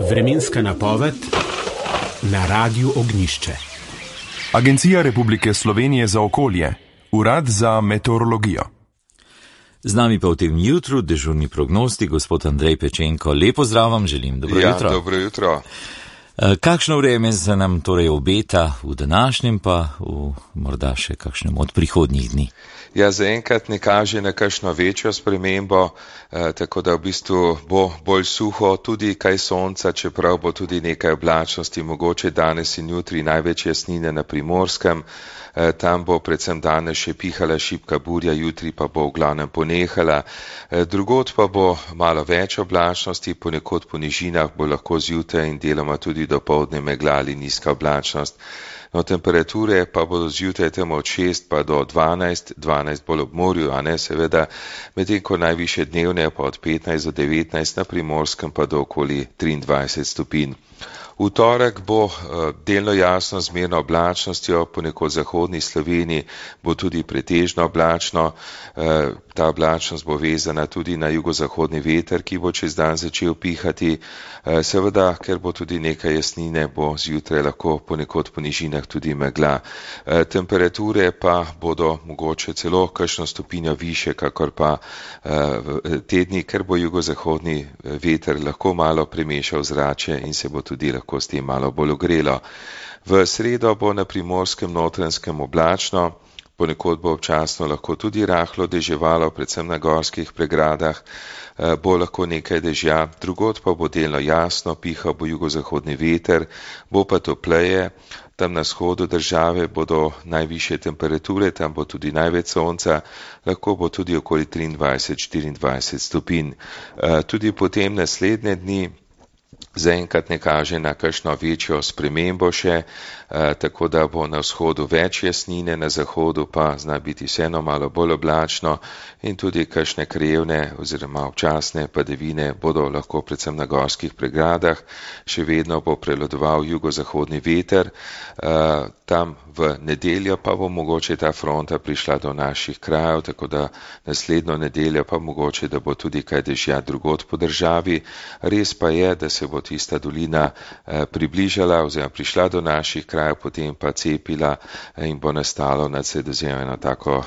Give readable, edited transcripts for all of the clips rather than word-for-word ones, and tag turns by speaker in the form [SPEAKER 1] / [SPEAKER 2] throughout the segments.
[SPEAKER 1] Vremenska napoved na Radiu Ognjišče.
[SPEAKER 2] Agencija Republike Slovenije za okolje, Urad za meteorologijo.
[SPEAKER 3] Z nami pa v tem jutru dežurni prognostik gospod Andrej Pečenko. Lepo zdrav vam želim, dobro jutro.
[SPEAKER 4] Ja, dobro jutro.
[SPEAKER 3] Kakšno vreme se nam torej obeta v današnjem pa v morda še kakšnem od prihodnjih dni?
[SPEAKER 4] Ja, zaenkrat ne kaže na kakšno večjo spremembo, tako da v bistvu bo bolj suho, tudi kaj sonca, čeprav bo tudi nekaj oblačnosti, mogoče danes in jutri največ jasnine na Primorskem. Tam bo predvsem danes še pihala šibka burja, jutri pa bo v glavnem ponehala. Drugod pa bo malo več oblačnosti, ponekod po nižinah bo lahko zjutraj in deloma tudi dopoldne megla ali nizka oblačnost. No, temperature pa bodo zjutraj tam od 6 pa do 12 bolj ob morju, a ne seveda, medtem ko najviše dnevne pa od 15 do 19, na Primorskem pa do okoli 23 stopinj. V torek bo delno jasno z merno oblačnostjo, ponekod v zahodni Sloveniji bo tudi pretežno oblačno. Ta oblačnost bo vezana tudi na jugozahodni veter, ki bo čez dan začel pihati. Seveda, ker bo tudi nekaj jasnine, bo zjutraj lahko ponekod po nižinah tudi megla. Temperature pa bodo mogoče celo kakšno stopinjo više, kakor pa tedni, ker bo jugozahodni veter lahko malo premešal zrače in se bo tudi lahko s tem malo bolj ogrelo. V sredo bo na Primorskem Notranjskem oblačno, ponekod bo občasno lahko tudi rahlo deževalo, predvsem na gorskih pregradah, bo lahko nekaj dežja, drugod pa bo delno jasno, pihal bo jugozahodni veter, bo pa topleje. Tam na vzhodu države bodo najvišje temperature, tam bo tudi največ sonca, lahko bo tudi okoli 23-24 stopinj. Tudi potem naslednje dni zaenkrat ne kaže na kakšno večjo spremembo še, tako da bo na vzhodu več jasnine, na zahodu pa zna biti vseeno malo bolj oblačno in tudi kakšne krajevne oziroma občasne padavine bodo lahko predvsem na gorskih pregradah. Še vedno bo prevladoval jugozahodni veter, tam v nedeljo pa bo mogoče ta fronta prišla do naših krajev, tako da naslednjo nedeljo pa mogoče, da bo tudi kaj dežja drugod po državi. Res pa je, da se bo tista dolina približala oziroma prišla do naših krajev, potem pa cepila in bo nastalo nad Sredozemljem tako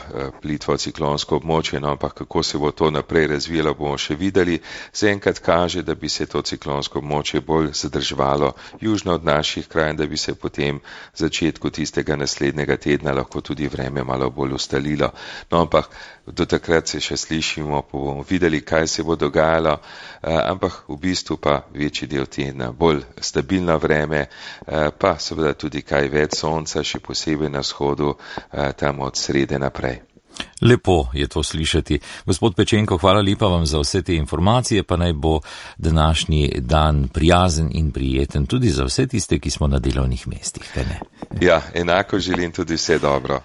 [SPEAKER 4] plitvo ciklonsko območje, no, ampak kako se bo to naprej razvijalo, bomo še videli. Zaenkrat kaže, da bi se to ciklonsko območje bolj zadrževalo južno od naših krajev, da bi se potem v začetku tistega naslednjega tedna lahko tudi vreme malo bolj ustalilo. No, ampak do takrat se še slišimo, pa bomo videli, kaj se bo dogajalo, ampak v bistvu pa večji del tedna bolj stabilno vreme, pa seveda tudi kaj več sonca, še posebej na vzhodu, tam od srede naprej.
[SPEAKER 3] Lepo je to slišati. Gospod Pečenko, hvala lepa vam za vse te informacije, pa naj bo današnji dan prijazen in prijeten tudi za vse tiste, ki smo na delovnih mestih.
[SPEAKER 4] Ja, enako želim tudi vse dobro.